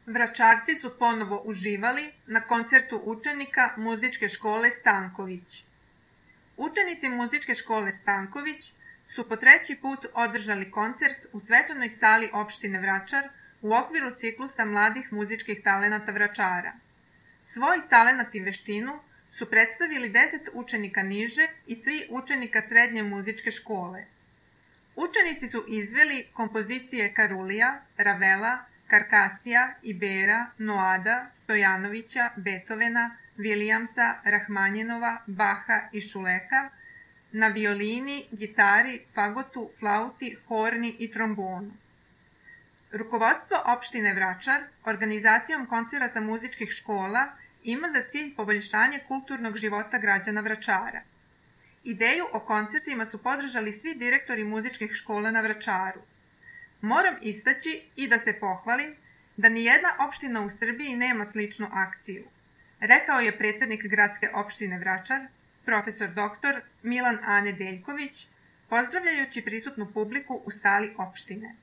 Vračarci su ponovo uživali na koncertu učenika Muzičke škole Stanković. Učenici Muzičke škole Stanković su po 3. put održali koncert u svečanoj sali opštine Vračar u okviru ciklusa mladih muzičkih talenata Vračara. Svoj talenat i veštinu su predstavili 10 učenika niže i 3 učenika srednje muzičke škole. Učenici su izveli kompozicije Karulija, Ravela, Karkasija, Ibera, Noada, Stojanovića, Beethovena, Williamsa, Rahmanjinova, Baha i Šuleka na violini, gitari, fagotu, flauti, horni i trombonu. Rukovodstvo opštine Vračar organizacijom koncerata muzičkih škola ima za cilj poboljšanje kulturnog života građana Vračara. Ideju o koncertima su podržali svi direktori muzičkih škola na Vračaru. Moram istaći i da se pohvalim da nijedna opština u Srbiji nema sličnu akciju, rekao je predsednik gradske opštine Vračar, profesor dr. Milan Ane Deljković, pozdravljajući prisutnu publiku u sali opštine.